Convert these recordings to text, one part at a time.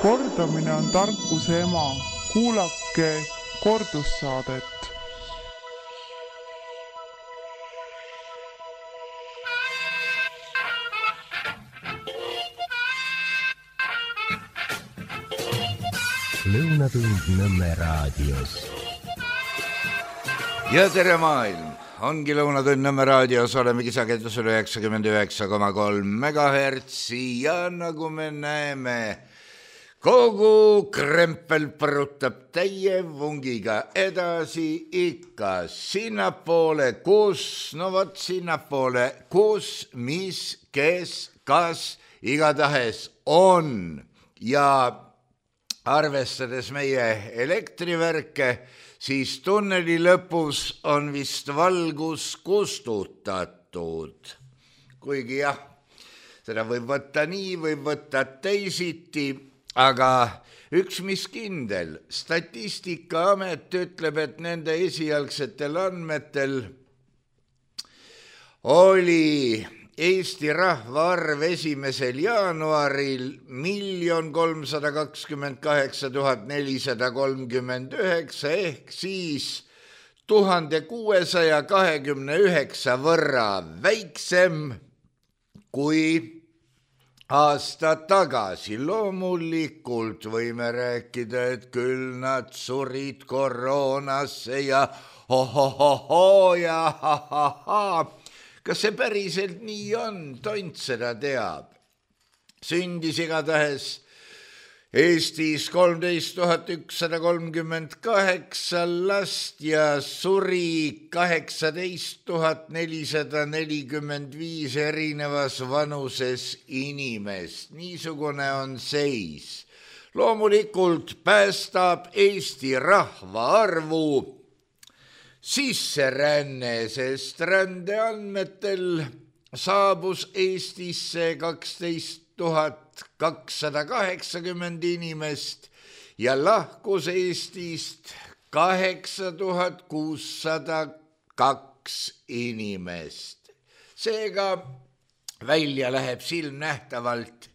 Kordamine on tarkuse ema. Kuulake kordussaadet. Lõunatund Nõmme raadios. Ja tere maailm! Ongi Lõunatund Nõmme raadios, olemegi sagedusel 99,3 MHz ja nagu me näeme, kogu krempel põrutab täie vungiga edasi ikka sinnapoole, sinnapoole, kus, mis, kes, kas igatahes on ja arvestades meie elektrivärke, siis tunneli lõpus on vist valgus kustutatud. Kuigi jah, seda võib võtta nii, võib võtta teisiti, aga üks mis kindel, Statistikaamet ütleb, et nende esialgsetel andmetel oli Eesti rahvaarv 1. jaanuaril 1 328 439 ehk siis 1629 võrra väiksem kui aasta tagasi. Loomulikult võime rääkida, et küll nad surid koroonasse ja ho-ho-ho-ho ja ha-ha-ha. Kas see päriselt nii on? Tont seda teab. Sündis igatahes Eestis 13 138 last ja suri 18 445 erinevas vanuses inimest. Niisugune on seis. Loomulikult päästab Eesti rahvaarvu sisseränne, sest rändeandmetel saabus Eestisse 12 280 inimest ja lahkus Eestist 8602 inimest. Seega välja läheb silmnähtavalt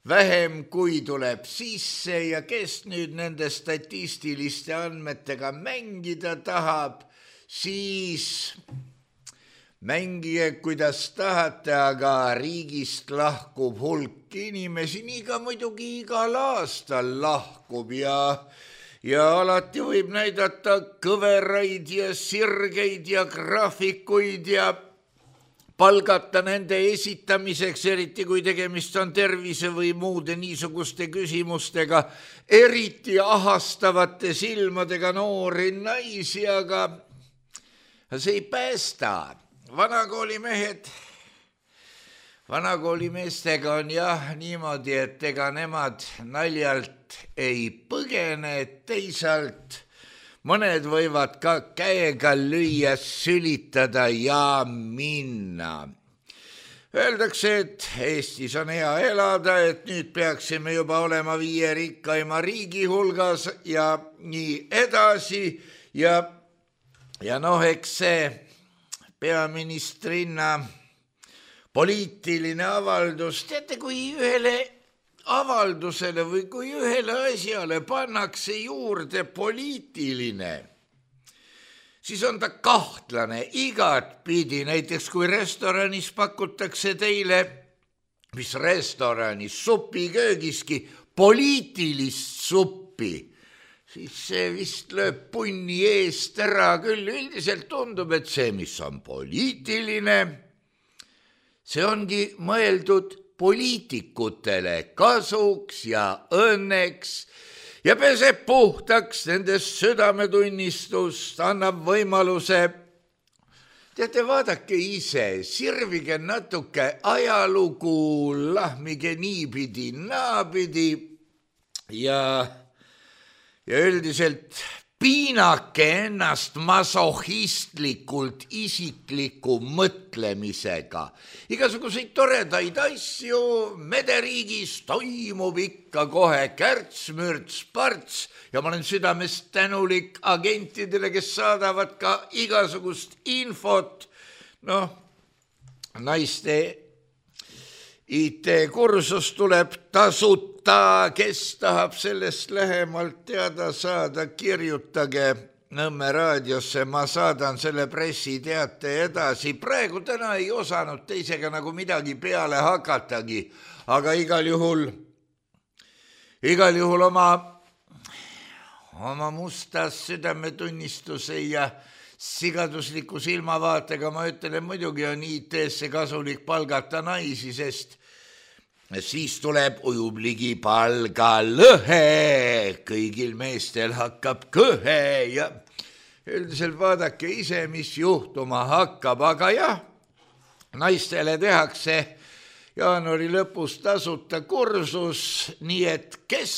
vähem kui tuleb sisse ja kes nüüd nende statistiliste andmetega mängida tahab, siis mängige kuidas tahate, aga riigist lahkub hulk inimesi, nii ka muidugi igal aastal lahkub ja alati võib näidata kõveraid ja sirgeid ja graafikuid ja palgata nende esitamiseks, eriti kui tegemist on tervise või muude niisuguste küsimustega, eriti ahastavate silmadega noori naisi, aga see ei päästa. Vanakoolimestega on jah niimoodi, et ega nemad naljalt ei põgene, teisalt mõned võivad ka käega lüüa, sülitada ja minna. Öeldakse, et Eestis on hea elada, et nüüd peaksime juba olema 5 rikkaima riigi hulgas ja nii edasi ja eks see peaministrinna poliitiline avaldus, teate, kui ühele avaldusele või kui ühele asjale pannakse juurde poliitiline, siis on ta kahtlane igatpidi. Näiteks kui restoranis pakutakse teile, mis restoranis, supiköögiski, poliitilist suppi, siis see vist lööb punni eest ära küll. Üldiselt tundub, et see, mis on poliitiline, see ongi mõeldud poliitikutele kasuks ja õnneks ja peseb puhtaks nendest südametunnistust, annab võimaluse. Teate, vaadake ise, sirvige natuke ajalugu, lahmige niipidi, naapidi ja üldiselt piinake ennast masohhistlikult isikliku mõtlemisega. Igasuguseid toredaid asju mederiigis toimub ikka kohe kärts-mürts-parts ja ma olen südamest tänulik agentidele, kes saadavad ka igasugust infot, naiste IT-kursus tuleb tasuta, kes tahab sellest lähemalt teada saada, kirjutage Nõmme raadiosse, ma saadan selle pressiteate edasi. Praegu täna ei osanud teisega nagu midagi peale hakatagi, aga igal juhul oma mustas südametunnistuse ja sigadusliku silmavaatega ma ütlen, muidugi on IT-sse kasulik palgata naisi, sest siis tuleb ujub ligi palgalõhe, kõigil meestel hakkab kõhe ja üldiselt vaadake ise, mis juhtuma hakkab, aga jah, naistele tehakse jaanuari lõpus tasuta kursus, nii et kes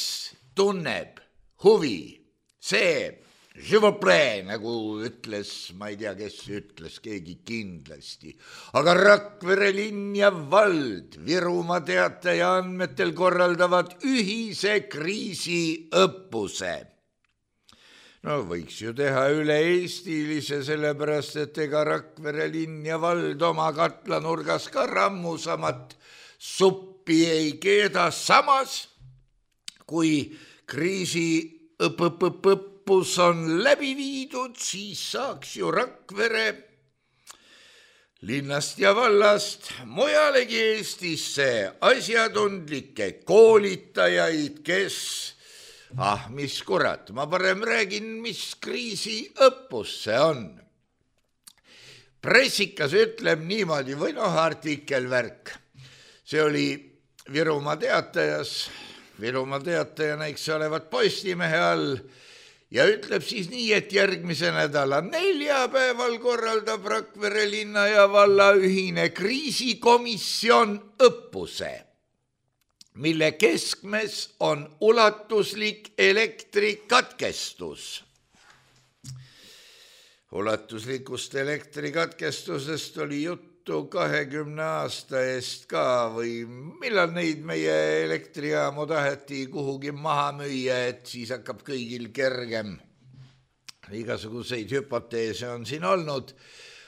tunneb huvi, see Živoplee, nagu ütles, ma ei tea, kes ütles, keegi kindlasti, aga Rakvere linn ja vald Virumaa Teataja andmetel korraldavad ühise kriisiõppuse. No võiks ju teha üle-eestilise, sellepärast, et ega Rakvere linn ja vald oma katlanurgas ka rammusamat suppi ei keeda, samas kui kriisiõppus on läbi viidud, siis saaks ju Rakvere linnast ja vallast mujalegi Eestisse asjatundlikke koolitajaid, kes, mis kurat, ma parem räägin, mis kriisiõppus see on. Pressikas ütleb niimoodi, või artikelvärk, see oli Virumaa Teatajas, Virumaa Teatajana, eks olevat Postimehe all, ja ütleb siis nii, et järgmise nädala neljapäeval korraldab Rakvere linna ja valla ühine kriisikomisjon õppuse, mille keskmes on ulatuslik elektrikatkestus. Ulatuslikust elektrikatkestusest oli juttu 20 aasta eest ka või millal neid meie elektrijaamu taheti kuhugi maha müüa, et siis hakkab kõigil kergem. Igasuguseid hüpoteese on siin olnud.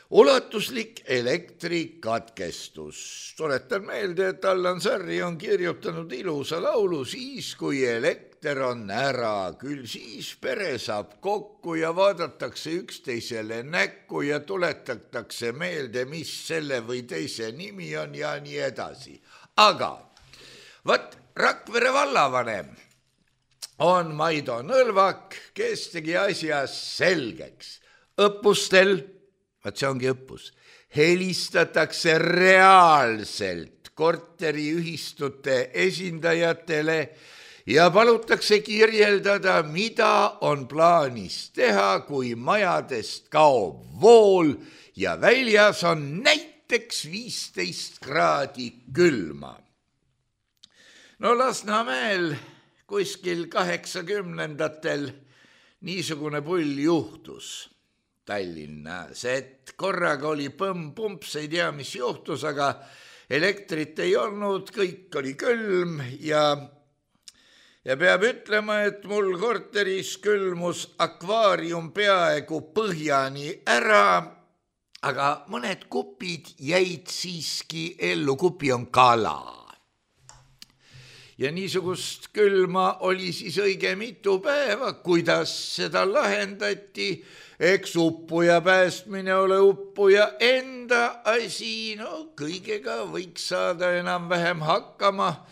Ulatuslik elektrikatkestus. Tuletan meelde, et Allan Sarri on kirjutanud ilusa laulu siis, kui elekter on ära, küll siis pere saab kokku ja vaadatakse üksteisele näkku ja tuletatakse meelde, mis selle või teise nimi on ja nii edasi. Aga Rakvere vallavanem on Maido Nõlvak, kes tegi asja selgeks. Õppustel, see ongi õppus, helistatakse reaalselt korteriühistute esindajatele ja palutakse kirjeldada, mida on plaanis teha, kui majadest kaob vool ja väljas on näiteks 15 kraadi külma. No Lasnamäel kuskil 80-ndatel niisugune pull juhtus Tallinnas, et korraga oli põmm-pumps, ei tea, mis juhtus, aga elektrit ei olnud, kõik oli külm ja peab ütlema, et mul korteris külmus akvaarium peaaegu põhjani ära, aga mõned kupid jäid siiski ellu, kupi on kala. Ja niisugust külma oli siis õige mitu päeva, kuidas seda lahendati, eks uppuja päästmine ole uppuja enda asi, no kõigega võiks saada enam-vähem hakkama,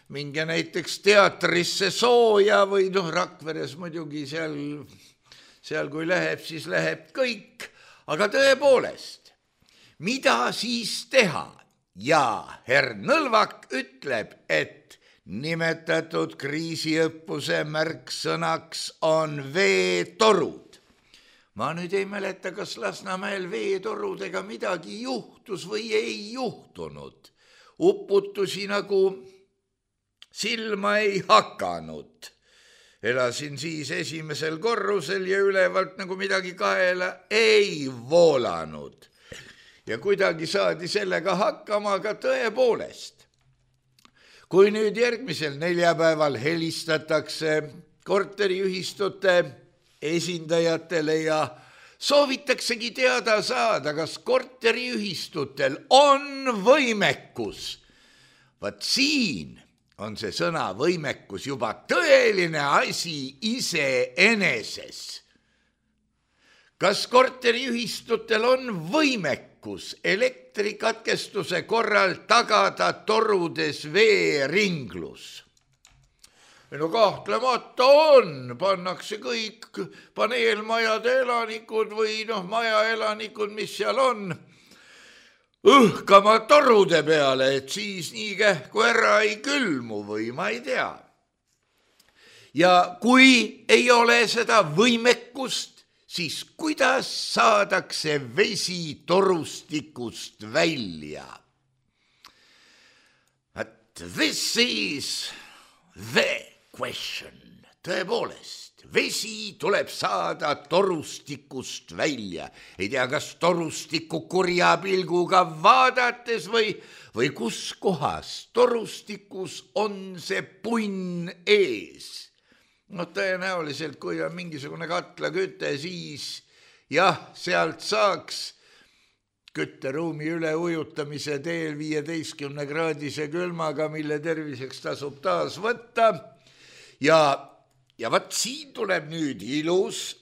minge näiteks teatrisse sooja või Rakveres muidugi seal kui läheb, siis läheb kõik. Aga tõepoolest, mida siis teha? Ja herr Nõlvak ütleb, et nimetatud kriisiõppuse märksõnaks on veetorud. Ma nüüd ei mäleta, kas Lasnamäel veetorudega midagi juhtus või ei juhtunud. Uputusi nagu silma ei hakanud. Elasin siis esimesel korrusel ja ülevalt nagu midagi kaela ei voolanud. Ja kuidagi saadi sellega hakkama, aga tõepoolest. Kui nüüd järgmisel neljapäeval helistatakse korteriühistute esindajatele ja soovitaksegi teada saada, kas korteriühistutel on võimekus Vaat siin on see sõna võimekus juba tõeline asi iseeneses. Kas korteriühistutel on võimekus elektrikatkestuse korral tagada torudes veeringlus? No kahtlemata on, pannakse kõik paneelmajade elanikud või majaelanikud, mis seal on, õhkama torude peale, et siis nii kähku ära ei külmu või ma ei tea. Ja kui ei ole seda võimekust, siis kuidas saadakse vesi torustikust välja? But this is the question. Tõepoolest, vesi tuleb saada torustikust välja. Ei tea, kas torustiku kurja pilguga vaadates või kus kohas torustikus on see punn ees. Tõenäoliselt, kui on mingisugune katlaküte, siis jah, sealt saaks kütteruumi üle ujutamise teel 15-kraadise külmaga, mille terviseks tasub taas võtta. Ja vaat siin tuleb nüüd ilus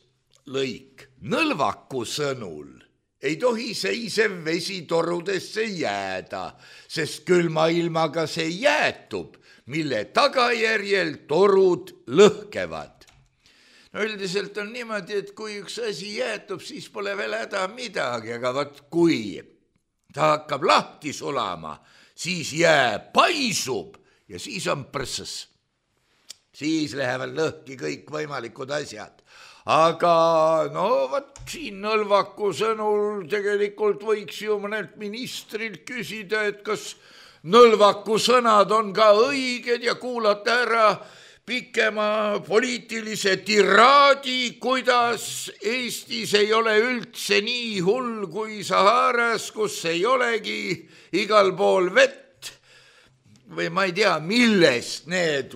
lõik. Nõlvaku sõnul ei tohi seisev vesi torudesse jääda, sest külma ilmaga see jäätub, mille tagajärjel torud lõhkevad. Üldiselt on niimoodi, et kui üks asi jäätub, siis pole veel häda midagi, aga vaat kui ta hakkab lahti sulama, siis jää paisub ja siis on prõsses. Siis lähevad lõhki kõik võimalikud asjad. Aga vaat siin Nõlvaku sõnul tegelikult võiks ju mõnelt ministrilt küsida, et kas Nõlvaku sõnad on ka õiged ja kuulata ära pikema poliitilise tiraadi, kuidas Eestis ei ole üldse nii hull kui Saharas, kus ei olegi igal pool vett. Või ma ei tea, millest need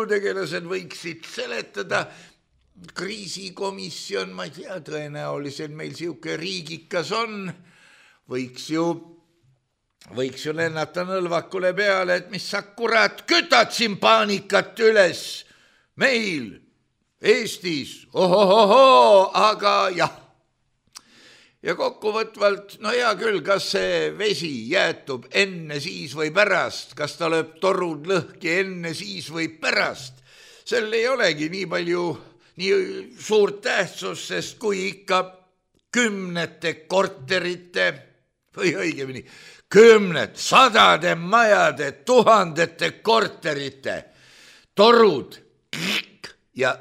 tegelased võiksid seletada. Kriisikomisjon, ma ei tea, tõenäoliselt meil siuke riigikas on, võiks ju lennata Nõlvakule peale, et mis sa kurat kütad siin paanikat üles meil Eestis, aga jah. Ja kokkuvõtvalt, hea küll, kas see vesi jäätub enne siis või pärast, kas ta lööb torud lõhki enne siis või pärast. Sel ei olegi nii palju, nii suurt tähtsus, sest kui ikka kümnete korterite või õigemini sadade majade, tuhandete korterite torud ja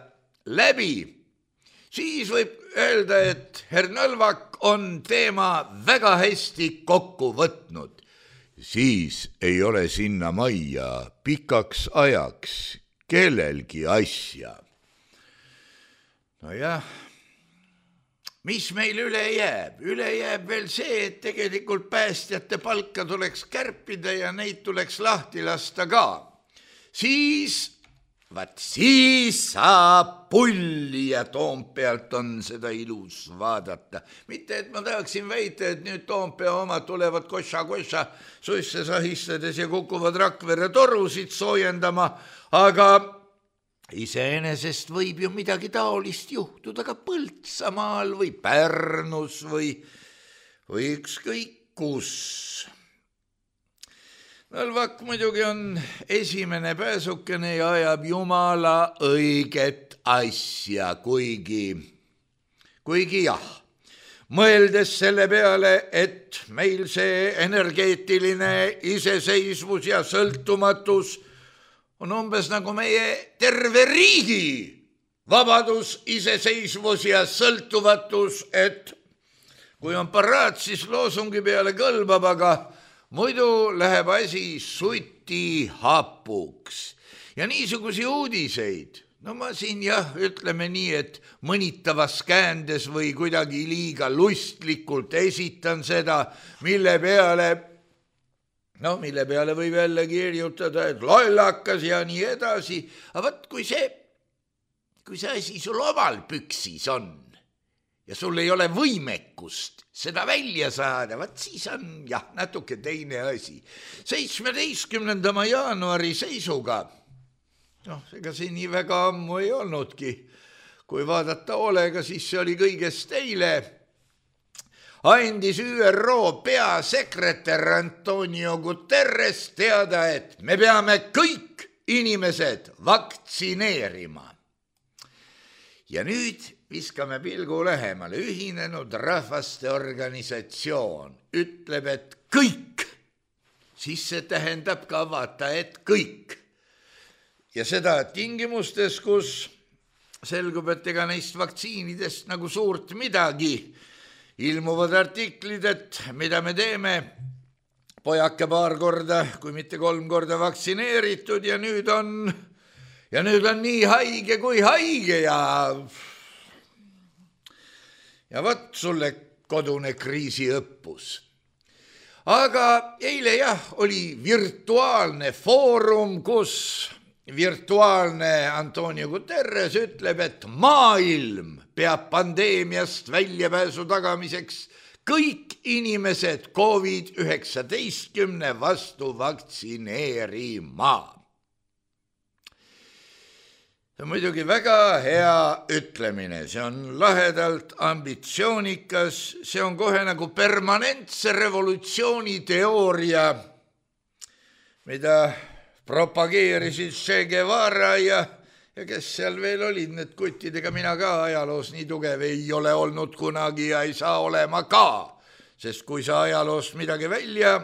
läbi, siis võib öelda, et herr Nõlvak on teema väga hästi kokku võtnud. Siis ei ole sinna majja pikaks ajaks kellelgi asja. Jah, mis meil üle jääb? Üle jääb veel see, et tegelikult päästjate palka tuleks kärpida ja neid tuleks lahti lasta ka. Siis saab pulli ja Toompealt on seda ilus vaadata. Mitte, et ma tahaksin väita, et nüüd Toompea omad tulevad koša suisse sahistades ja kukuvad Rakvere torusid soojendama, aga iseenesest võib ju midagi taolist juhtuda ka Põltsamaal või Pärnus või ükskõik kus. Nõlvak muidugi on esimene pääsukene ja ajab jumala õiget asja, kuigi jah, mõeldes selle peale, et meil see energeetiline iseseisvus ja sõltumatus on umbes nagu meie terve riigi vabadus, iseseisvus ja sõltuvatus, et kui on paraad, siis loosungi peale kõlbab, aga muidu läheb asi suti hapuks. Ja niisugusi uudiseid, ma siin ütleme nii, et mõnitavas käändes või kuidagi liiga lustlikult esitan seda, mille peale võib jälle kirjutada, et lollakas ja nii edasi. Aga vaat, kui see asi sul omal püksis on ja sul ei ole võimekust seda välja saada, vaat siis on jah, natuke teine asi. 17. jaanuari seisuga, ega see nii väga ammu ei olnudki, kui vaadata hoolega, siis see oli kõigest eile, andis ÜRO peasekretär Antonio Guterres teada, et me peame kõik inimesed vaktsineerima. Ja nüüd viskame pilgu lähemale. Ühinenud Rahvaste Organisatsioon ütleb, et kõik. Siis see tähendab ka vaata, et kõik. Ja seda tingimustes, kus selgub, et ega neist vaktsiinidest nagu suurt midagi. Ilmuvad artiklid, et mida me teeme. Pojake 2 korda, kui mitte 3 korda vaktsineeritud ja nüüd on nii haige kui haige ja võt sulle kodune kriisiõppus. Aga eile oli virtuaalne foorum, kus virtuaalne Antonio Guterres ütleb, et maailm peab pandeemiast väljapääsu tagamiseks kõik inimesed COVID-19 vastu vaktsineerima. See on muidugi väga hea ütlemine, see on lahedalt ambitsioonikas, see on kohe nagu permanentse revolutsiooni teooria, mida propageerisid Che Guevara ja kes seal veel olid, need kuttidega mina ka ajaloos nii tugev ei ole olnud kunagi ja ei saa olema ka, sest kui sa ajaloost midagi välja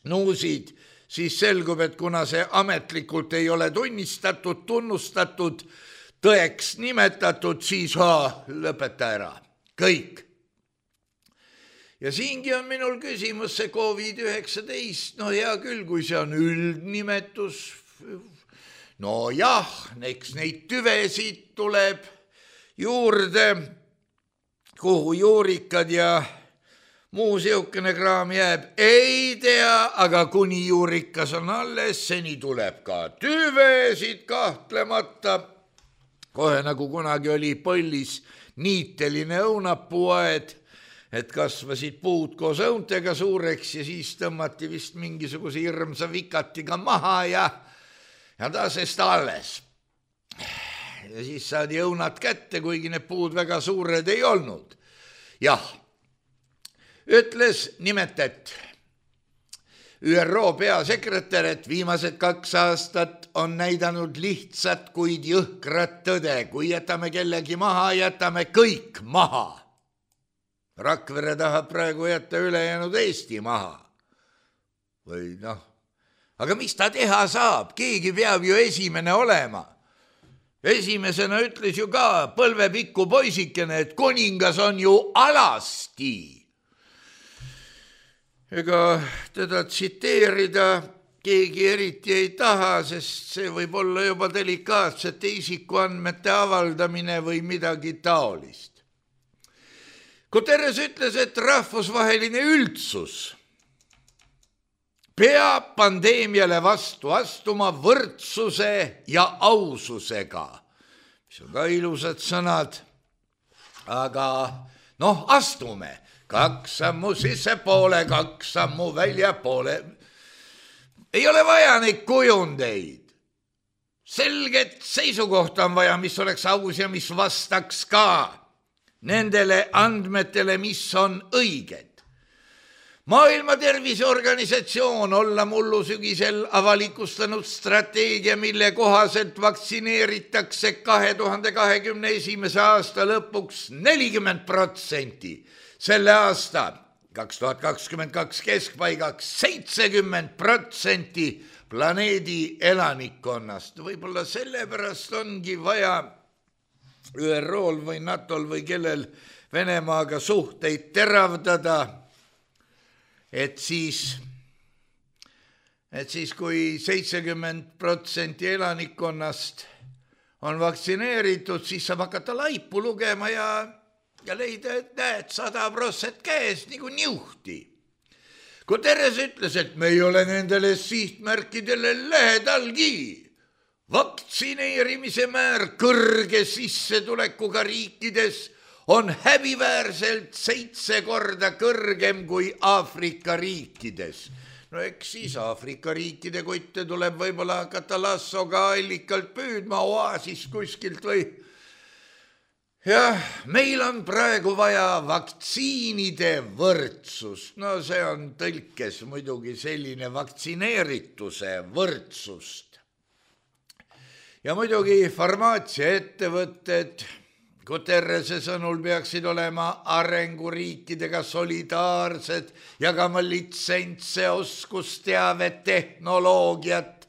nuusid, siis selgub, et kuna see ametlikult ei ole tunnustatud, tõeks nimetatud, siis lõpeta ära, kõik. Ja siingi on minul küsimus see COVID-19, hea küll, kui see on üldnimetus, eks neid tüvesid tuleb juurde, kuhu juurikad ja muu siukene kraam jääb, ei tea, aga kuni juurikas on alles, seni tuleb ka tüvesid kahtlemata. Kohe nagu kunagi oli Põllis niiteline õunapuuaed, et kasvasid puud koos õuntega suureks ja siis tõmmati vist mingisuguse hirmsa vikatiga maha ja taasest alles. Ja siis saadi õunad kätte, kuigi need puud väga suured ei olnud. Jah, ütles nimetet ÜRO peasekretär, et viimased 2 aastat on näidanud lihtsat, kuid jõhkrat tõde. Kui jätame kellegi maha, jätame kõik maha. Rakvere tahab praegu jätta ülejäänud Eesti maha. Või aga mis ta teha saab? Keegi peab ju esimene olema. Esimesena ütles ju ka põlvepikku poisikene, et kuningas on ju alasti. Ega teda tsiteerida keegi eriti ei taha, sest see võib olla juba delikaatsete isikuandmete avaldamine või midagi taolist. Guterres ütles, et rahvusvaheline üldsus peab pandeemiale vastu astuma võrdsuse ja aususega, mis on ka ilusad sõnad, aga astume 2 sammu sissepoole, 2 sammu väljapoole. Ei ole vaja neid kujundeid. Selget seisukohta on vaja, mis oleks aus ja mis vastaks ka nendele andmetele, mis on õiged. Maailma Terviseorganisatsioon olla mullu sügisel avalikustanud strateegia, mille kohaselt vaktsineeritakse 2021. aasta lõpuks 40%, selle aasta 2022 keskpaigaks 70% planeedi elanikkonnast. Võib-olla sellepärast ongi vaja ÜRO-l või NATO-l või kellel Venemaaga suhteid teravdada, et siis kui 70% elanikkonnast on vaktsineeritud, siis saab hakata laipu lugema ja leida, et näed, 100% käes nagu niuhti. Guterres ütles, et me ei ole nendele sihtmärkidele lähedalgi. Vaktsineerimise määr kõrge sissetulekuga riikides on häbiväärselt 7 korda kõrgem kui Aafrika riikides. No eks siis Aafrika riikide kotte tuleb võib-olla hakata lassoga allikalt püüdma oaasis kuskilt või. Jah, meil on praegu vaja vaktsiinide võrdsust. No see on tõlkes muidugi selline vaktsineerituse võrdsust. Ja muidugi farmaatsiaettevõtted Guterrese sõnul peaksid olema arenguriikidega solidaarsed, jagama litsentse, oskusteavet, tehnoloogiat,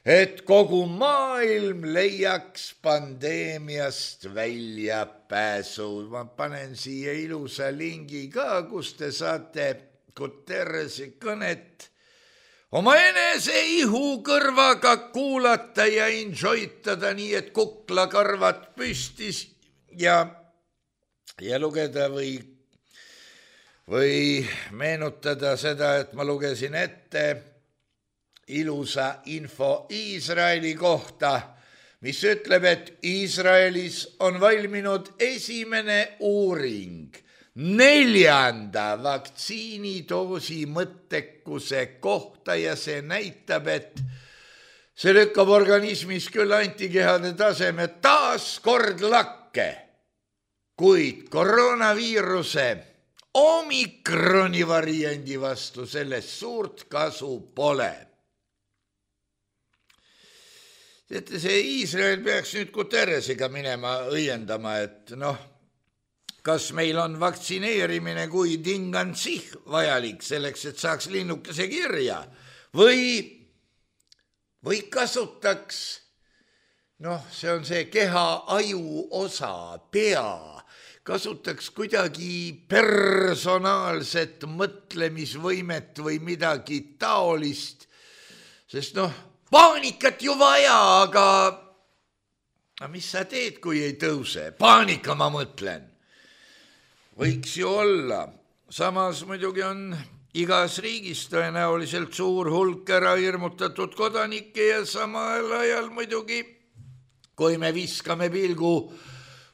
et kogu maailm leiaks pandeemiast väljapääsu. Ma panen siia ilusa lingi ka, kus te saate Guterrese kõnet oma enese ihu kõrvaga kuulata ja enjoytada nii, et kuklakarvad püstis ja lugeda või meenutada seda, et ma lugesin ette ilusa info Iisraeli kohta, mis ütleb, et Iisraelis on valminud esimene uuring 4. vaktsiinidoosi mõttekuse kohta ja see näitab, et see lükkab organismis küll antikehade taseme taas kord lakke, kuid koroonaviiruse omikroni variandi vastu sellest suurt kasu pole. Teate, see Iisrael peaks nüüd Guterresega minema õiendama, et kas meil on vaktsineerimine kui tingansih vajalik selleks, et saaks linnukese kirja või kasutaks, see on see keha aju osa, pea, kasutaks kuidagi personaalset mõtlemisvõimet või midagi taolist, sest paanikat ju vaja, aga mis sa teed, kui ei tõuse? Paanika, ma mõtlen. Võiks ju olla. Samas muidugi on igas riigis tõenäoliselt suur hulk ära hirmutatud kodanikke ja samal ajal muidugi, kui me viskame pilgu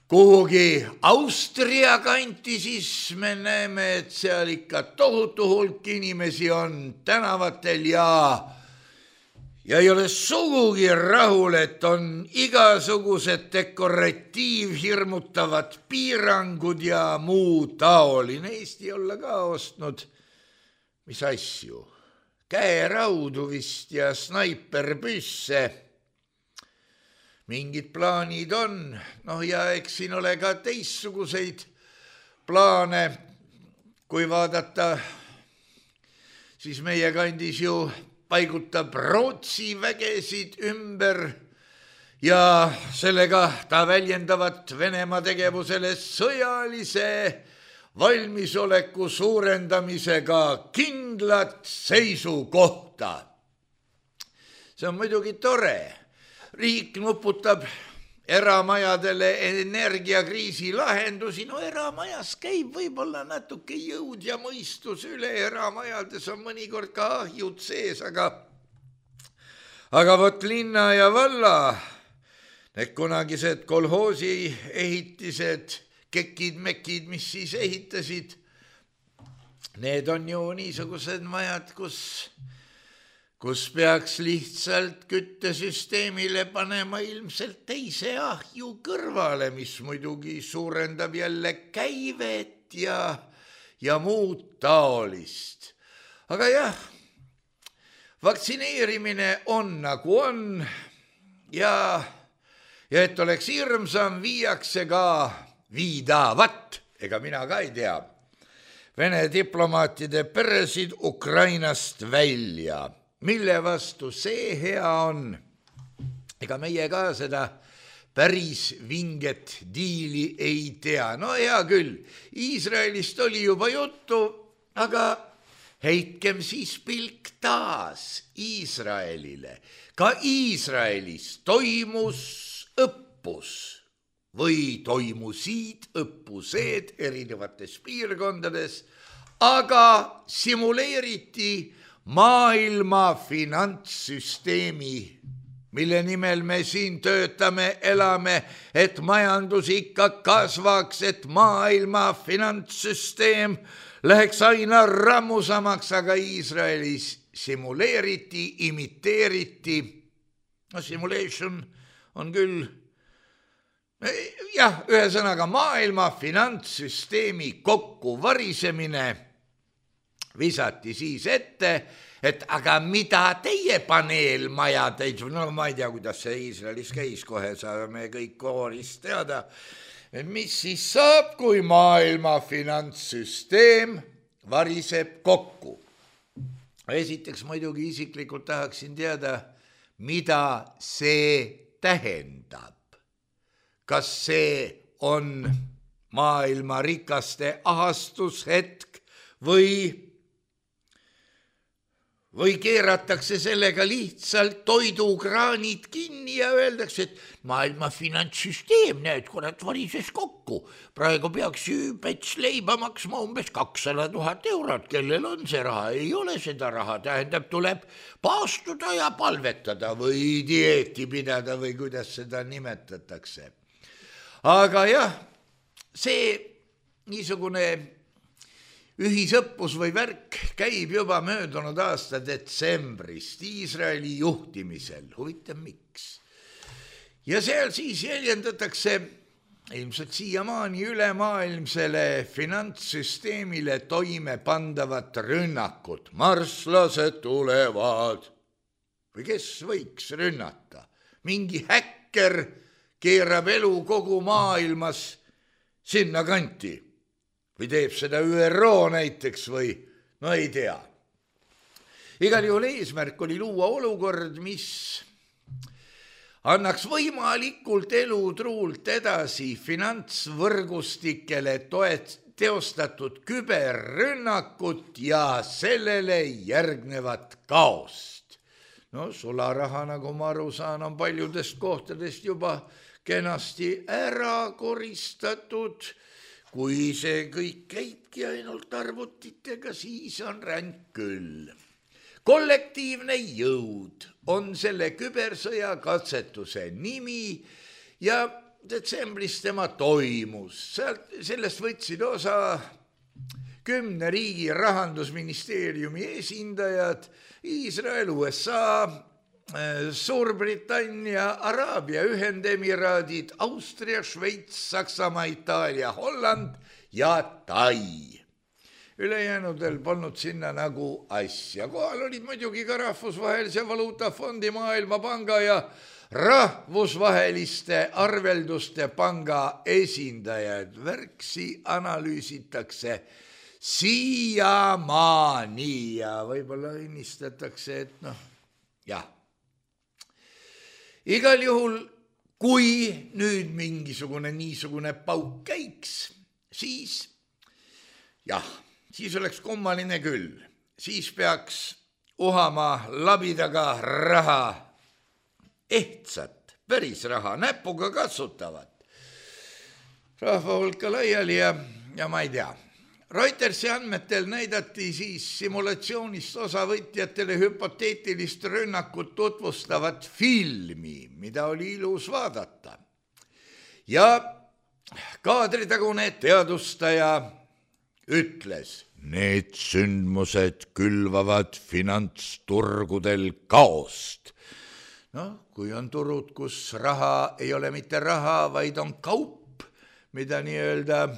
kuhugi Austria kanti, siis me näeme, et seal ikka tohutu hulk inimesi on tänavatel ja ei ole sugugi rahul, et on igasugused dekoratiivhirmutavad piirangud ja muu taoline. Eesti olla ka ostnud, mis asju, käeraudu vist ja snaiperpüsse. Mingid plaanid on, ja eks siin ole ka teistsuguseid plaane, kui vaadata, siis meie kandis ju paigutab Rootsi vägesid ümber ja sellega ta väljendavad Venemaa tegevusele sõjalise valmisoleku suurendamisega kindlat seisukohta. See on muidugi tore. Riik nuputab eramajadele energiakriisi lahendusi. Eramajas käib võib-olla natuke jõud ja mõistus üle. Eramajades on mõnikord ka ahjud sees, aga vot linna ja valla, need kunagised kolhoosi ehitised, kekid-mekid, mis siis ehitasid, need on ju niisugused majad, kus peaks lihtsalt küttesüsteemile panema ilmselt teise ahju kõrvale, mis muidugi suurendab jälle käivet ja muud taolist. Aga jah, vaktsineerimine on nagu on ja et oleks hirmsam, viiakse ka viidavat, ega mina ka ei tea, Vene diplomaatide peresid Ukrainast välja. Mille vastu see hea on? Ega meie ka seda päris vinget diili ei tea. Hea küll, Iisraelist oli juba juttu, aga heitkem siis pilk taas Iisraelile. Ka Iisraelis toimus õppus või toimusid õppused erinevates piirkondades, aga simuleeriti maailma finantssüsteemi mille nimel me siin töötame, elame, et majandus ikka kasvaks, et maailma finantssüsteem läheks aina rammusamaks, aga Iisraelis simuleeriti, imiteeriti. No simulation on küll, jah, ühesõnaga maailma finantssüsteemi kokkuvarisemine visati siis ette, et aga mida teie paneelmaja teid, no ma ei tea, kuidas see Iisraelis käis, kohe saame kõik koorist teada, mis siis saab, kui maailma finantssüsteem variseb kokku. Esiteks muidugi isiklikult tahaksin teada, mida see tähendab. Kas see on maailma rikaste ahastushetk või keeratakse sellega lihtsalt toidukraanid kinni ja öeldakse, et maailma finantssüsteem, näed, kurat, varises kokku. Praegu peaks ju pets leiba maksma umbes 200 000 eurot, kellel on see raha, ei ole seda raha, tähendab, tuleb paastuda ja palvetada või dieeti pidada või kuidas seda nimetatakse. Aga jah, see niisugune ühisõppus või värk käib juba möödunud aasta detsembrist Iisraeli juhtimisel. Huvitav, miks? Ja seal siis jäljendatakse ilmselt siiamaani ülemaailmsele finantssüsteemile toime pandavat rünnakut. Marslased tulevad. Või kes võiks rünnata? Mingi häkker keerab elu kogu maailmas sinna kanti. Või teeb seda ÜRO näiteks või no ei tea. Igal juhul eesmärk oli luua olukord, mis annaks võimalikult elutruult edasi finantsvõrgustikele teostatud küberrünnakut ja sellele järgnevat kaost. No sularaha, nagu ma aru saan, on paljudest kohtadest juba kenasti ära koristatud. Kui see kõik käibki ainult arvutitega, siis on ränk küll. Kollektiivne jõud on selle kübersõja katsetuse nimi ja detsembris tema toimus. Sellest võtsid osa 10 riigi rahandusministeeriumi esindajad, Iisrael, USA, Suurbritannia, Araabia Ühendemiraadid, Austria, Šveits, Saksamaa, Itaalia, Holland ja Tai. Ülejäänudel polnud sinna nagu asja. Kohal olid muidugi ka Rahvusvahelise Valuutafondi, Maailmapanga ja Rahvusvaheliste Arvelduste Panga esindajad. Värksi analüüsitakse siiamaani ja võib-olla õnnistatakse, et noh, jah. Igal juhul, kui nüüd mingisugune niisugune pauk käiks, siis oleks kummaline küll. Siis peaks uhama labidaga raha, ehtsat, päris raha, näpuga katsutavat. Rahva hulka laiali ja ma ei tea. Reutersi andmetel näidati siis simulatsioonist osavõtjatele hüpoteetilist rünnakut tutvustavat filmi, mida oli ilus vaadata. Ja kaadritagune teadustaja ütles, need sündmused külvavad finantsturgudel kaost. Kui on turud, kus raha ei ole mitte raha, vaid on kaup, mida nii-öelda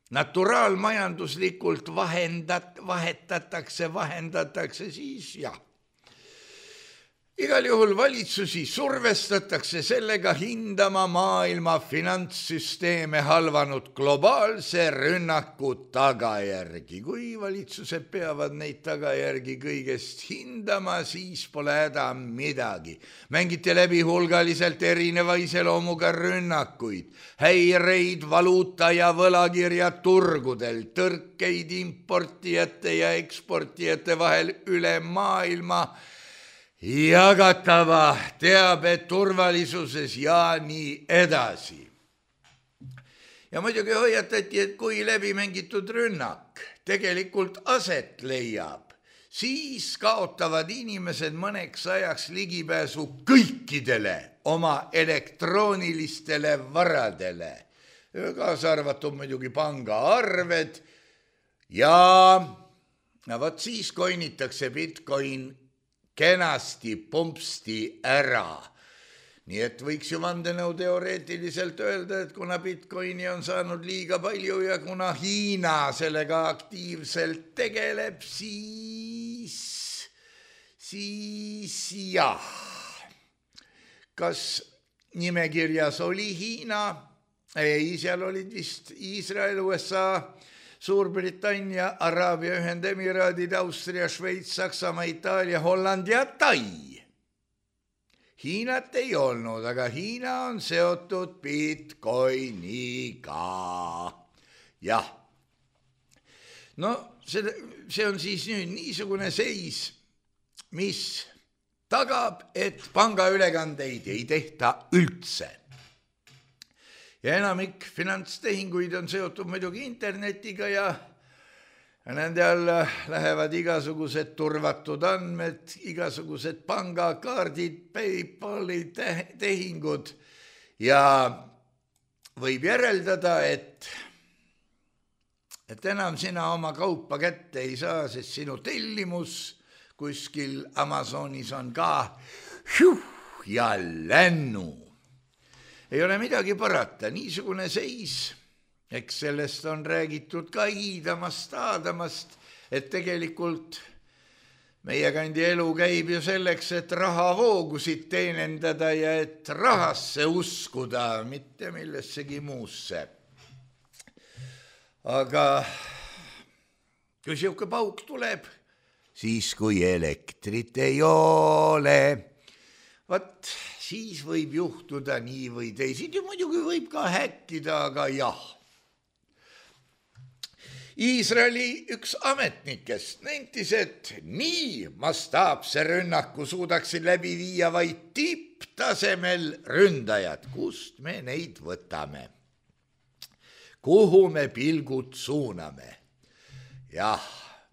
naturaalmajanduslikult vahendatakse, siis jah. Igal juhul valitsusi survestatakse sellega hindama maailma finantssüsteeme halvanud globaalse rünnaku tagajärgi. Kui valitsused peavad neid tagajärgi kõigest hindama, siis pole häda midagi. Mängiti läbi hulgaliselt erineva iseloomuga rünnakuid, häireid valuuta ja võlakirja turgudel, tõrkeid importijate ja eksportijate vahel üle maailma, jagatava teabe turvalisuses ja nii edasi. Ja muidugi hoiatati, et kui läbi mängitud rünnak tegelikult aset leiab, siis kaotavad inimesed mõneks ajaks ligipääsu kõikidele oma elektroonilistele varadele, kaasa arvatud muidugi pangaarved ja võt siis koinitakse Bitcoin kenasti pumpsti ära. Nii et võiks ju vandenõu teoreetiliselt öelda, et kuna Bitcoini on saanud liiga palju ja kuna Hiina sellega aktiivselt tegeleb, siis jah. Kas nimekirjas oli Hiina? Ei, seal olid vist Iisrael, USA, Suurbritannia, Araabia Ühendemiraadid, Austria, Šveits, Saksamaa, Itaalia, Holland ja Tai. Hiinat ei olnud, aga Hiina on seotud Bitcoiniga. Jah. No see on siis nüüd niisugune seis, mis tagab, et pangaülekandeid ei tehta üldse. Ja enamik finantstehinguid on seotud muidugi internetiga ja nende alla lähevad igasugused turvatud andmed, igasugused pangakaardid, PayPali tehingud ja võib järeldada, et enam sina oma kaupa kätte ei saa, sest sinu tellimus kuskil Amazonis on ka ja lännu. Ei ole midagi parata, niisugune seis. Eks sellest on räägitud ka hiidamast, aadamast, et tegelikult meie kandi elu käib ju selleks, et rahavoogusid teenendada ja et rahasse uskuda, mitte millessegi muusse. Aga kui siuke pauk tuleb, siis kui elektrit ei ole, vaat siis võib juhtuda nii või teisiti, muidugi võib ka häkkida, aga jah. Iisraeli üks ametnikest nentis, et nii mastaapse rünnaku suudaksid läbi viia vaid tipptasemel ründajad. Kust me neid võtame? Kuhu me pilgud suuname? Jah,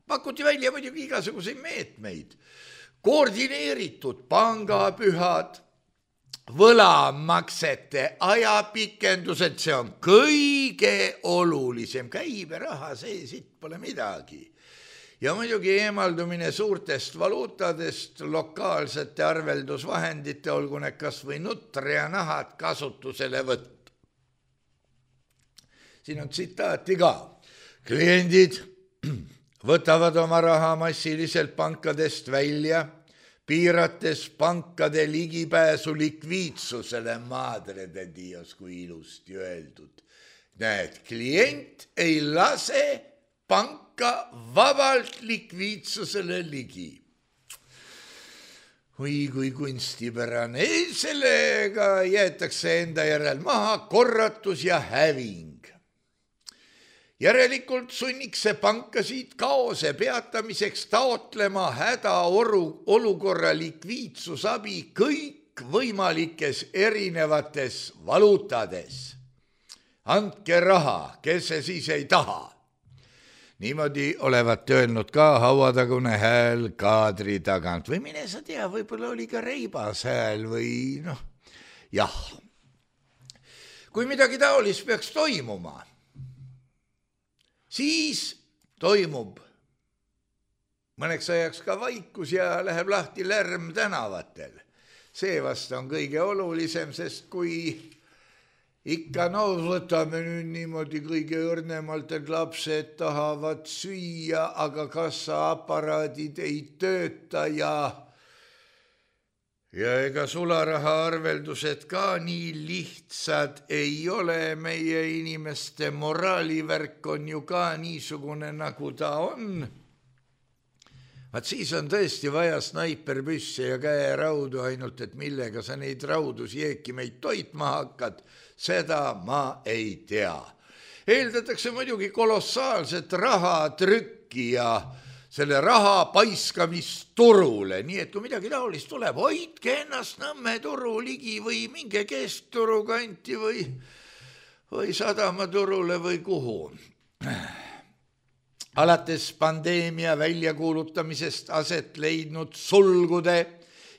pakuti välja muidugi igasuguseid meetmeid. Koordineeritud pangapühad, võlamaksete ajapikendused, see on kõige olulisem, käiberaha, see siit pole midagi. Ja muidugi eemaldumine suurtest valuutadest, lokaalsete arveldusvahendite, olgu need kas või nutre ja nahad kasutusele võtta. Siin on tsitaati ka. Kliendid võtavad oma raha massiliselt pankadest välja, piirates pankade ligipääsu likviidsusele, madre de Dios, kui ilusti öeldud. Näed, klient ei lase panka vabalt likviidsusele ligi. Või kui kunstipärane, sellega jäetakse enda järel maha korratus ja häving. Järelikult sunniks see pankasid kaose peatamiseks taotlema hädaolukorra likviidsusabi kõik võimalikes erinevates valuutades. Andke raha, kes see siis ei taha. Niimoodi olevat öelnud ka hauatagune hääl kaadri tagant. Või mine sa tea, võib-olla oli ka reibas hääl või jah. Kui midagi taolist peaks toimuma, siis toimub mõneks ajaks ka vaikus ja läheb lahti lärm tänavatel. See vast on kõige olulisem, sest kui ikka võtame nüüd niimoodi kõige õrnemalt, et lapsed tahavad süüa, aga kassaaparaadid ei tööta ja ega sularahaarveldused ka nii lihtsad ei ole, meie inimeste moraalivärk on ju ka niisugune, nagu ta on. Vaat siis on tõesti vaja snaiperpüsse ja käeraudu, ainult et millega sa neid raudus jeekimeid toitma hakkad, seda ma ei tea. Eeldatakse muidugi kolossaalset rahatrükki ja selle raha paiskamist turule, nii et kui midagi taolist tuleb, hoidke ennast Nõmme turu ligi või minge Keskturu kanti või Sadama turule või kuhu. alates pandeemia väljakuulutamisest aset leidnud sulgude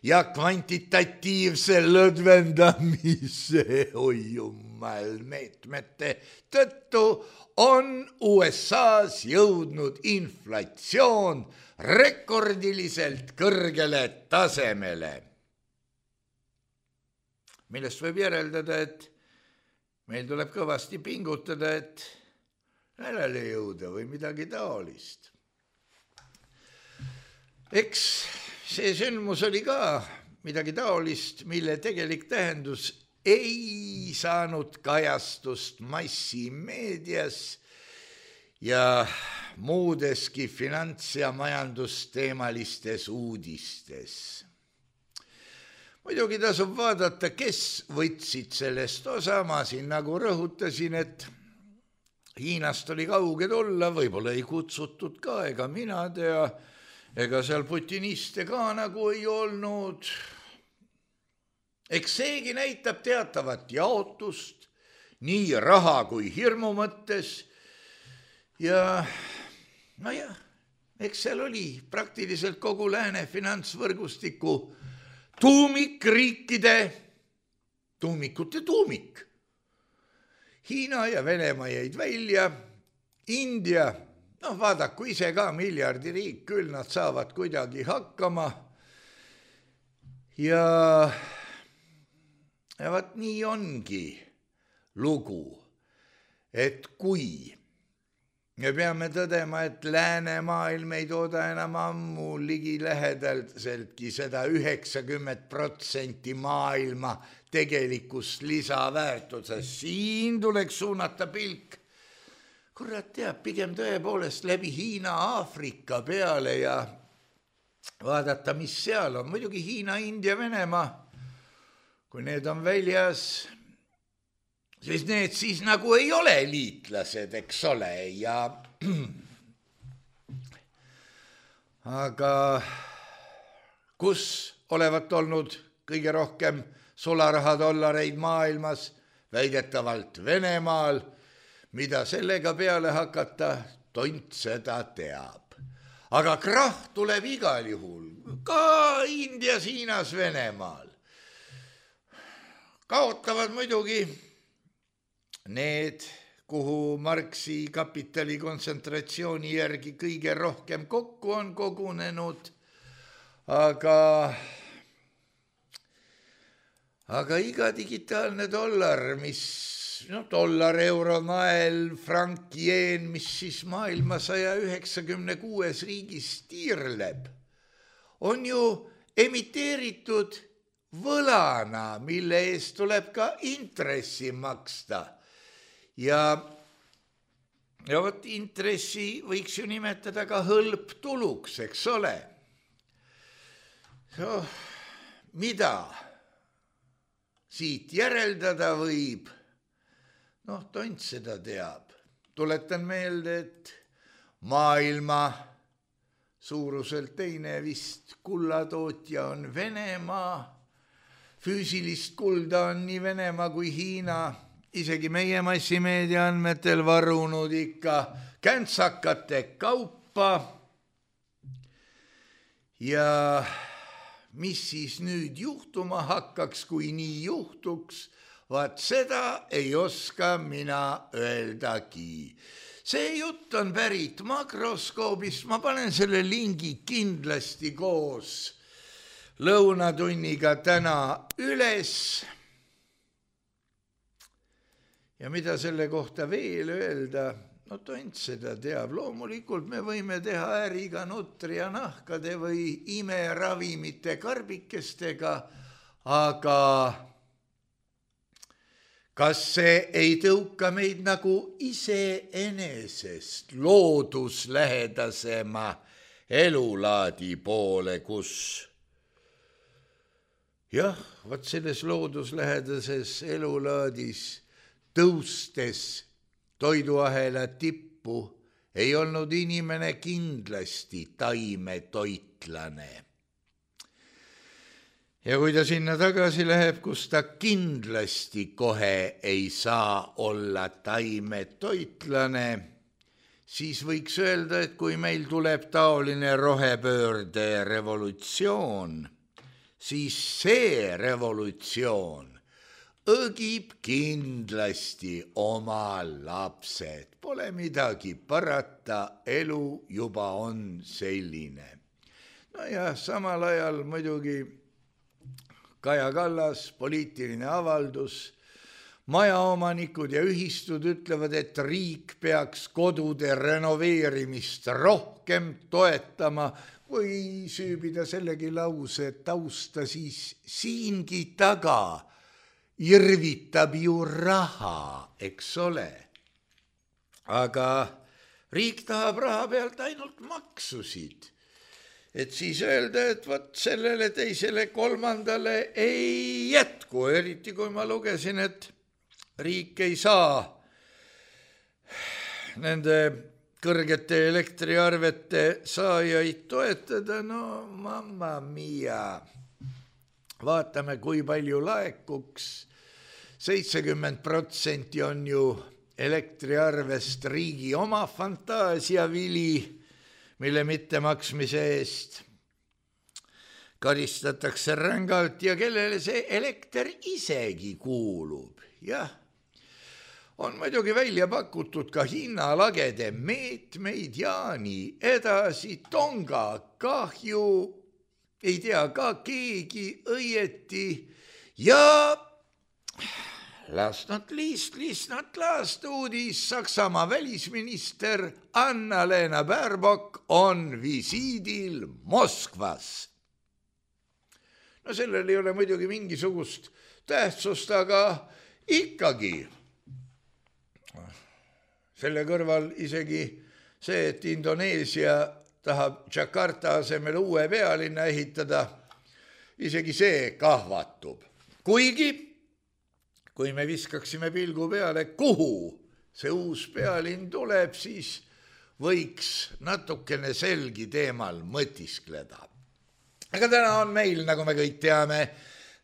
ja kvantitatiivse lõdvendamise meetmete tõttu on USA's jõudnud inflatsioon rekordiliselt kõrgele tasemele, millest võib järeldada, et meil tuleb kõvasti pingutada, et järele jõuda või midagi taolist. Eks see sündmus oli ka midagi taolist, mille tegelik tähendus ei saanud kajastust massimeedias ja muudeski finants- ja majandusteemalistes uudistes. Muidugi tasub vaadata, kes võtsid sellest osa, ma siin nagu rõhutasin, et Hiinast oli kauge tulla, võib-olla ei kutsutud ka, ega mina tea, ega seal putiniste ka nagu ei olnud. Eks seegi näitab teatavat jaotust nii raha kui hirmu mõttes ja nojah, eks seal oli praktiliselt kogu lääne finantsvõrgustiku tuumikute tuumik. Hiina ja Venemaa jäid välja, India, vaadaku ise ka miljardiriik, küll nad saavad kuidagi hakkama. Ja vaat nii ongi lugu, et kui me peame tõdema, et läänemaailm ei tooda enam ammu ligilähedaseltki seda 90% maailma tegelikust lisaväärtusest. Siin tuleks suunata pilk, kurat teab, pigem tõepoolest läbi Hiina Aafrika peale ja vaadata, mis seal on. Muidugi Hiina, India, Venemaa, kui need on väljas, siis need siis nagu ei ole liitlased, eks ole, ja aga kus olevat olnud kõige rohkem sularahadollareid maailmas, väidetavalt Venemaal, mida sellega peale hakata, tont seda teab. Aga krahh tuleb igal juhul, ka Indias, Hiinas, Venemaal. Kaotavad muidugi need, kuhu Marxi kapitali kontsentratsiooni järgi kõige rohkem kokku on kogunenud, aga iga digitaalne dollar, dollar, euro, nael, frank, jeen, mis siis maailma 196 riigis tiirleb, on ju emiteeritud võlana, mille eest tuleb ka intressi maksta. Ja vot intressi võiks ju nimetada ka hõlptuluks, eks ole. Mida siit järeldada võib? Tont seda teab. Tuletan meelde, et maailma suuruselt teine vist kullatootja on Venemaa. Füüsilist kulda on nii Venemaa kui Hiina isegi meie massimeedia andmetel varunud ikka käntsakate kaupa. Ja mis siis nüüd juhtuma hakkaks, kui nii juhtuks, vaat seda ei oska mina öeldagi. See jutt on pärit Makroskoobist, ma panen selle lingi kindlasti koos lõunatunniga täna üles. Ja mida selle kohta veel öelda? Tont seda teab. Loomulikult me võime teha äriga nutri ja nahkade või imeravimite karbikestega, aga kas see ei tõuka meid nagu iseenesest looduslähedasema elulaadi poole, kus jah, vot selles looduslähedases elulaadis tõustes toiduahela tippu ei olnud inimene kindlasti taimetoitlane. Ja kui ta sinna tagasi läheb, kus ta kindlasti kohe ei saa olla taimetoitlane, siis võiks öelda, et kui meil tuleb taoline rohepöörde revolutsioon, siis see revolutsioon õgib kindlasti oma lapsed. Pole midagi parata, elu juba on selline. No ja samal ajal muidugi Kaja Kallas, poliitiline avaldus, majaomanikud ja ühistud ütlevad, et riik peaks kodude renoveerimist rohkem toetama, või süübida sellegi lause tausta, siis siingi taga irvitab ju raha, eks ole. Aga riik tahab raha pealt ainult maksusid. Et siis öelda, et võt sellele teisele kolmandale ei jätku, eriti kui ma lugesin, et riik ei saa nende kõrgete elektriarvete saajaid toetada, no mamma mia. Vaatame, kui palju laekuks. 70% on ju elektriarvest riigi oma fantaasiavili, mille mittemaksmise eest karistatakse rängalt ja kellele see elekter isegi kuulub. Jah, on muidugi välja pakutud ka hinnalagede meetmeid ja nii edasi. Tonga kahju ei tea ka keegi õieti ja last not last uudis. Saksamaa välisminister Anna-Lena Baerbock on visiidil Moskvas. No sellel ei ole muidugi mingisugust tähtsust, aga ikkagi selle kõrval isegi see, et Indoneesia tahab Jakarta asemel uue pealinna ehitada, isegi see kahvatub. Kuigi kui me viskaksime pilgu peale, kuhu see uus pealinn tuleb, siis võiks natukene selgi teemal mõtiskleda. Aga täna on meil, nagu me kõik teame,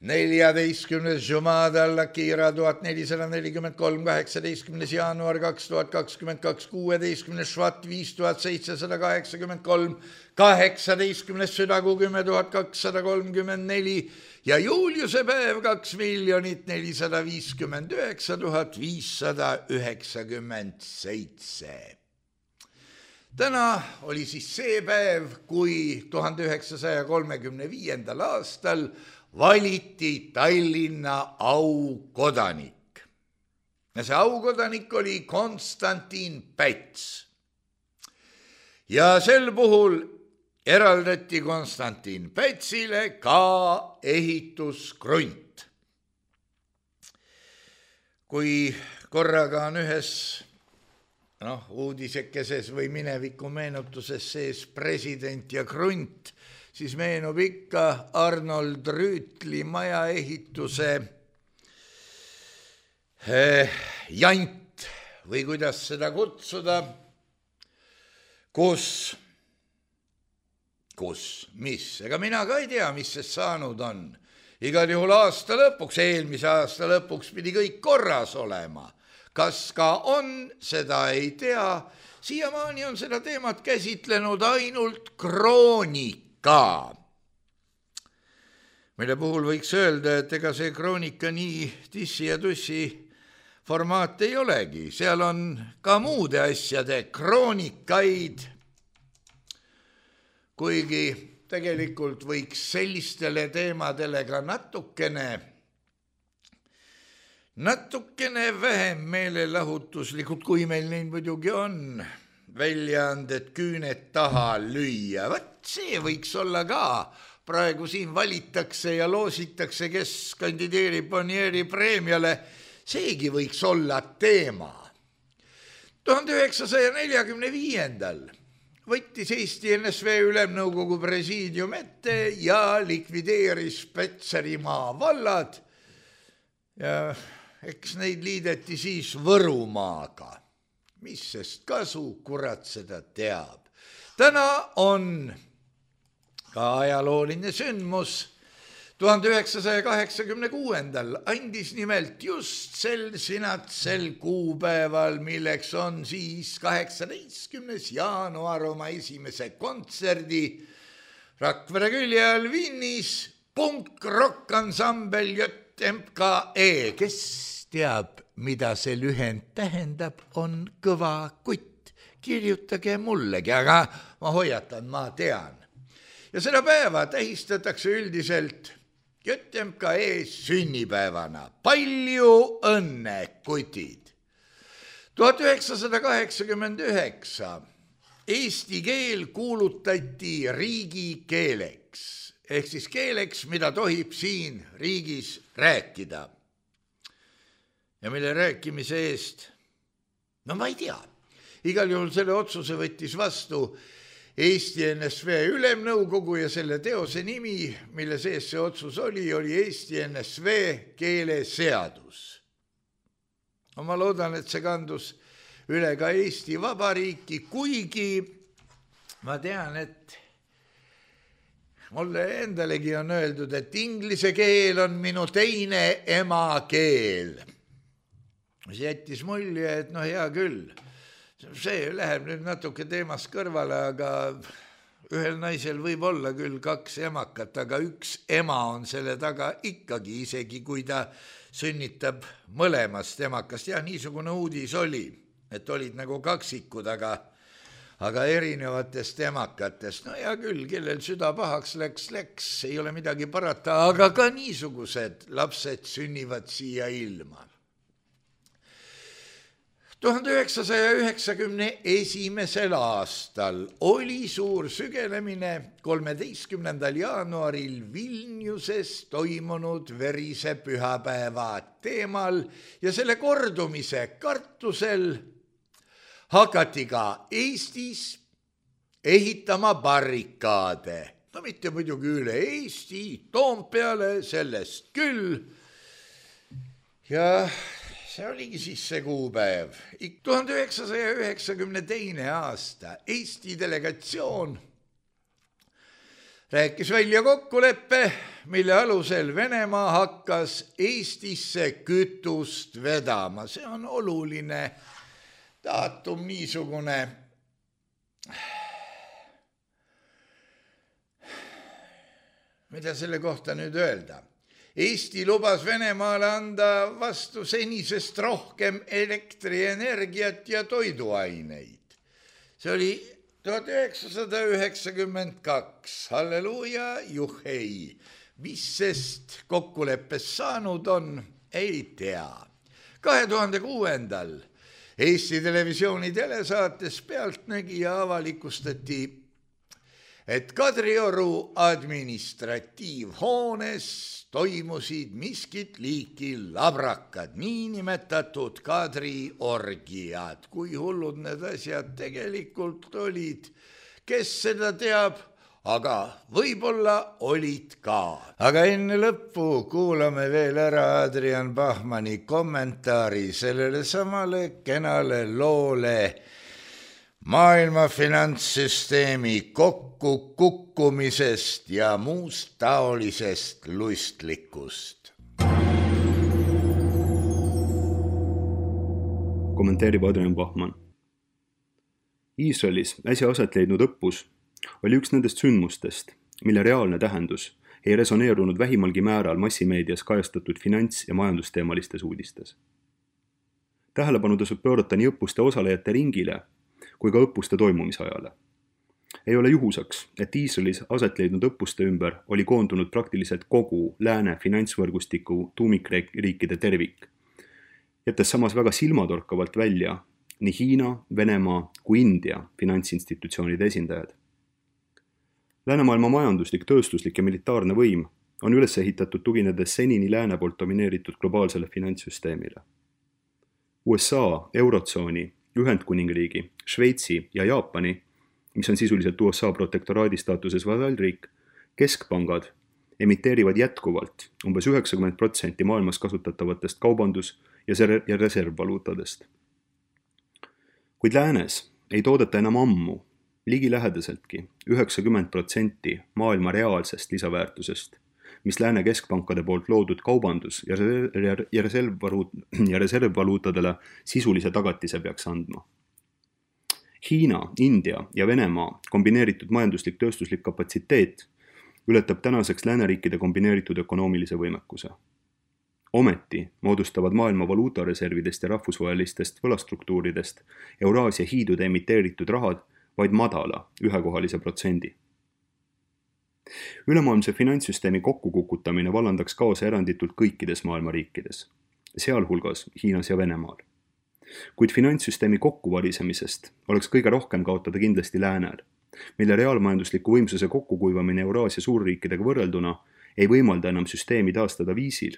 14. Jumada Al-Akira 1443, 18. jaanuar 2022, 16. Švat 5783, 18. südakuu 10 234 ja Juliuse päev 2 459 597. Täna oli siis see päev, kui 1935. aastal valiti Tallinna aukodanik. Ja see aukodanik oli Konstantin Päts. Ja sel puhul eraldati Konstantin Pätsile ka ehituskrunt. Kui korraga on ühes uudisekeses või mineviku meenutuses sees president ja krunt, siis meenub ikka Arnold Rüütli majaehituse jant või kuidas seda kutsuda, mis, ega mina ka ei tea, mis sest saanud on. Igal juhul aasta lõpuks, eelmise aasta lõpuks pidi kõik korras olema. Kas ka on, seda ei tea. Siiamaani on seda teemat käsitlenud ainult Kroonika, mille puhul võiks öelda, et ega see Kroonika nii tissi ja tussi formaat ei olegi. Seal on ka muude asjade kroonikaid, kuigi tegelikult võiks sellistele teemadele ka natukene vähem meelelahutuslikult, kui meil neid muidugi on, väljaanded küüned taha lüüa. Võt see võiks olla ka. Praegu siin valitakse ja loositakse, kes kandideerib Bonnieri preemiale. Seegi võiks olla teema. 1945. võttis Eesti NSV Ülemnõukogu presiidium ette ja likvideeris Petserimaa vallad ja eks neid liideti siis Võrumaaga. Mis sest kasu, kurat seda teab. Täna on ka ajalooline sündmus. 1986. andis nimelt just sel sinatsel kuupäeval, milleks on siis 18. jaanuar oma esimese kontserdi Rakvere külje all Vinnis punk-rock-ansambel JMKE. Kes teab, mida see lühend tähendab, on kõva kutt. Kirjutage mullegi, aga ma hoiatan, ma tean. Ja seda päeva tähistatakse üldiselt JMKE sünnipäevana. Palju õnne, kutid! 1989 eesti keel kuulutati riigikeeleks, ehk siis keeleks, mida tohib siin riigis rääkida. Ja mille rääkimise eest? No ma ei tea. Igal juhul selle otsuse võttis vastu Eesti NSV Ülemnõukogu ja selle teose nimi, mille sees see otsus oli Eesti NSV keeleseadus. Ma loodan, et see kandus üle ka Eesti Vabariiki, kuigi ma tean, et mulle endalegi on öeldud, et inglise keel on minu teine emakeel. See jättis mulje, et hea küll. See läheb nüüd natuke teemast kõrvale, aga ühel naisel võib olla küll 2 emakat, aga üks ema on selle taga ikkagi, isegi kui ta sünnitab mõlemast emakast. Ja niisugune uudis oli, et olid nagu kaksikud, aga erinevatest emakatest. No hea küll, kellel süda pahaks läks, ei ole midagi parata, aga ka niisugused lapsed sünnivad siia ilma. 1991. aastal oli suur sügelemine 13. jaanuaril Vilniuses toimunud verise pühapäeva teemal ja selle kordumise kartusel hakati ka Eestis ehitama barrikaade. No mitte muidugi üle Eesti, Toompeale, sellest küll. Ja see oligi siis see kuupäev. 1992. aasta Eesti delegatsioon rääkis välja kokkuleppe, mille alusel Venemaa hakkas Eestisse kütust vedama. See on oluline daatum, niisugune. Mida selle kohta nüüd öelda? Eesti lubas Venemaale anda vastu senisest rohkem elektrienergiat ja toiduaineid. See oli 1992. Halleluuja, juhhei. Mis sest kokkuleppes saanud on, ei tea. 2006. Eesti Televisiooni telesaates Pealtnägija avalikustati, et Kadrioru administratiivhoones toimusid miskit liiki labrakad, niinimetatud Kadriorgiad. Kui hullud need asjad tegelikult olid, kes seda teab, aga võib-olla olid ka. Aga enne lõppu kuulame veel ära Adrian Bachmanni kommentaari sellele samale kenale loole maailma finantssüsteemi kokkukukkumisest ja muust taolisest lustlikust. Kommenteerib Adrian Bachmann. Iisraelis äsja aset leidnud õppus oli üks nendest sündmustest, mille reaalne tähendus ei resoneerunud vähimalgi määral massimeedias kajastatud finants- ja majandusteemalistes uudistes. Tähelepanu tasub pöörata nii õppuste osalejate ringile kui ka õppuste toimumisajale. Ei ole juhusaks, et Iisraelis aset leidnud õppuste ümber oli koondunud praktiliselt kogu lääne finantsvõrgustiku tuumikriikide tervik, jättes samas väga silmatorkavalt välja nii Hiina, Venemaa kui India finantsinstitutsioonide esindajad. Läänemaailma majanduslik, tööstuslik ja militaarne võim on üles ehitatud tuginedes senini lääne poolt domineeritud globaalsele finantssüsteemile. USA, Eurotsooni, Ühendkuningriigi, Šveitsi ja Jaapani, mis on sisuliselt USA protektoraadi staatuses vasallriik, keskpangad emiteerivad jätkuvalt umbes 90% maailmas kasutatavatest kaubandus- ja reservvaluutadest. Kuid läänes ei toodeta enam ammu ligilähedaseltki 90% maailma reaalsest lisaväärtusest, mis lääne keskpankade poolt loodud kaubandus- ja reservvaluutadele sisulise tagatise peaks andma. Hiina, India ja Venemaa kombineeritud majanduslik tööstuslik kapatsiteet ületab tänaseks lääneriikide kombineeritud ökonoomilise võimekuse. Ometi moodustavad maailma valuutareservidest ja rahvusvahelistest võlastruktuuridest Euraasia hiidude emiteeritud rahad vaid madala ühekohalise protsendi. Ülemaailmse finantssüsteemi kokkukukutamine vallandaks kaasa eranditult kõikides maailma riikides, sealhulgas Hiinas ja Venemaal. Kuid finantssüsteemi kokkuvarisemisest oleks kõige rohkem kaotada kindlasti läänel, mille reaalmajandusliku võimsuse kokkukuivamine Euraasia suurriikidega võrrelduna ei võimalda enam süsteemi taastada viisil,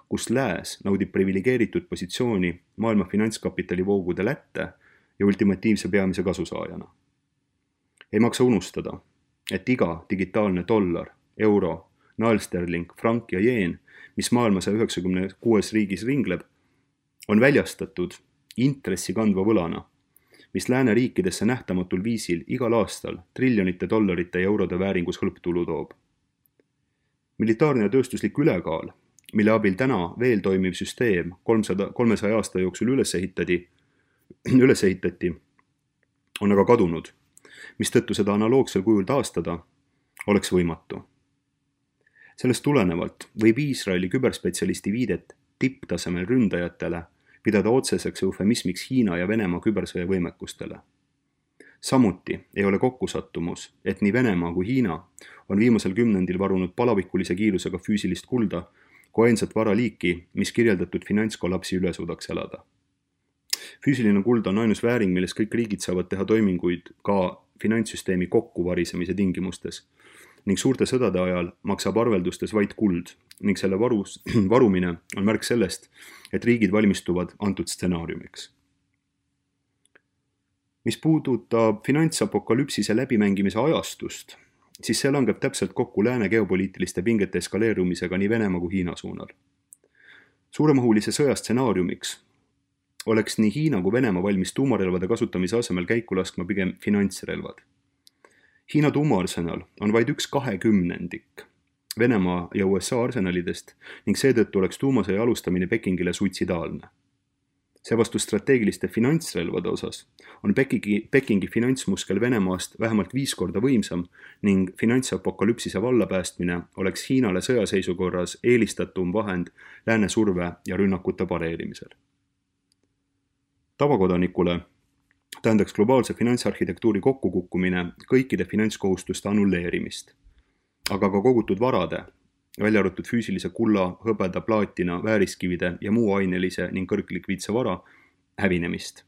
kus lääs naudib privilegeeritud positsiooni maailma finantskapitali voogude lätte ja ultimatiivse peamise kasusaajana. Ei maksa unustada, et iga digitaalne dollar, euro, naelsterling, frank ja jeen, mis maailma 196 riigis ringleb, on väljastatud intressi kandva võlana, mis lääne riikidesse nähtamatul viisil igal aastal triljonite dollarite ja eurode vääringus hõlptulu toob. Militaarne ja tööstuslik ülekaal, mille abil täna veel toimiv süsteem 300 aasta jooksul üles ehitati, on aga kadunud, mistõttu seda analoogsel kujul taastada oleks võimatu. Sellest tulenevalt võib Iisraeli küberspetsialisti viidet tipptasemel ründajatele pidada otseseks eufemismiks Hiina ja Venemaa kübersõja võimekustele. Samuti ei ole kokkusattumus, et nii Venemaa kui Hiina on viimasel kümnendil varunud palavikulise kiirusega füüsilist kulda kui ainsat varaliiki, mis kirjeldatud finantskollapsi üle suudaks elada. Füüsiline kuld on ainus vääring, milles kõik riigid saavad teha toiminguid ka finantssüsteemi kokkuvarisemise tingimustes ning suurte sõdade ajal maksab arveldustes vaid kuld ning selle varumine on märk sellest, et riigid valmistuvad antud stsenaariumiks. Mis puudutab finantsapokalüpsise läbimängimise ajastust, siis see langeb täpselt kokku lääne geopoliitiliste pingete eskaleerumisega nii Venemaa kui Hiina suunal. Suuremahulise sõja stsenaariumiks oleks nii Hiina kui Venemaa valmis tuumarelvade kasutamise asemel käiku laskma pigem finantsrelvad. Hiina tuumaarsenal on vaid 1/20 Venemaa ja USA arsenalidest ning seetõttu oleks tuumasõja alustamine Pekingile suitsidaalne. Seevastu strateegiliste finantsrelvade osas on Pekingi finantsmuskel Venemaast vähemalt 5 korda võimsam ning finantsapokalüpsise vallapäästmine oleks Hiinale sõjaseisukorras eelistatum vahend lääne surve ja rünnakute pareerimisel. Tavakodanikule tähendaks globaalse finantsarhitektuuri kokkukukkumine kõikide finantskohustuste annulleerimist, aga ka kogutud varade, välja arvatud füüsilise kulla, hõbeda, plaatina, vääriskivide ja muu ainelise ning kõrglikviidse vara hävinemist,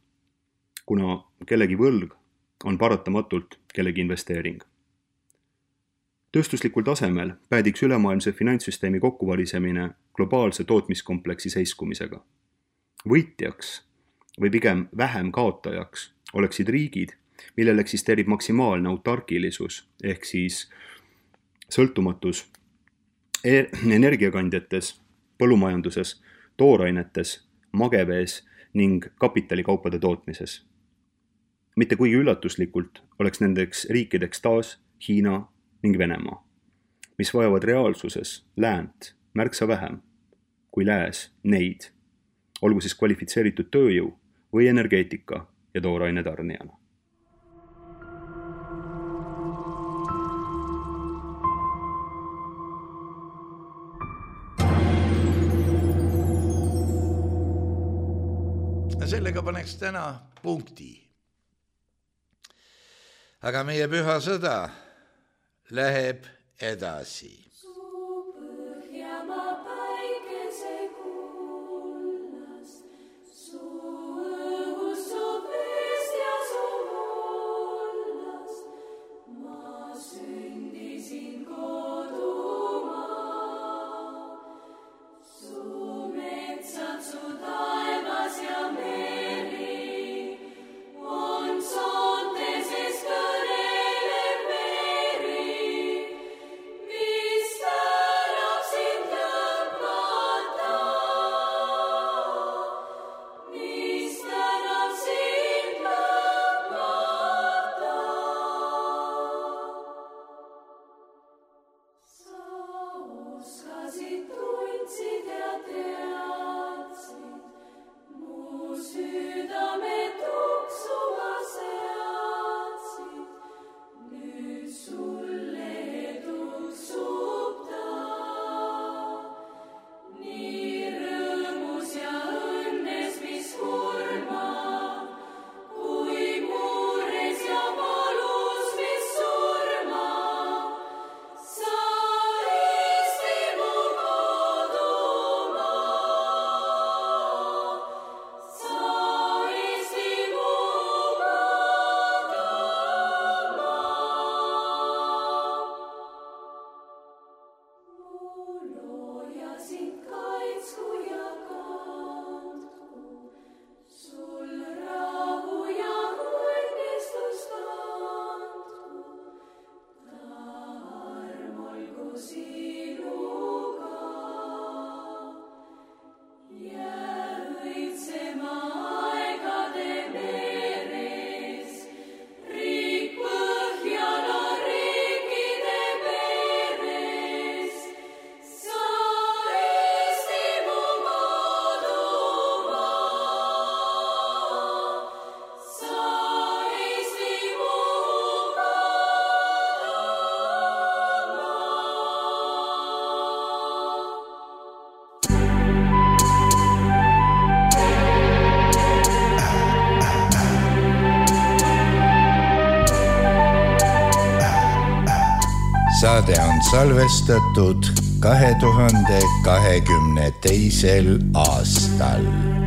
kuna kellegi võlg on paratamatult kellegi investeering. Tööstuslikul tasemel päädiks ülemaailmse finantssüsteemi kokkuvarisemine globaalse tootmiskompleksi seiskumisega. Võitjaks või pigem vähem kaotajaks oleksid riigid, millel eksisteerib maksimaalne autarkilisus ehk siis sõltumatus energiakandjates, põllumajanduses, toorainetes, magevees ning kapitalikaupade tootmises. Mitte kuigi üllatuslikult oleks nendeks riikideks taas Hiina ning Venemaa, mis vajavad reaalsuses läänt märksa vähem kui lääs neid, olgu siis kvalifitseeritud tööjõu või energeetika ja tooraine tarnijana. Sellega paneks täna punkti. Aga meie püha sõda läheb edasi. Peace. saade on salvestatud 2022. aastal.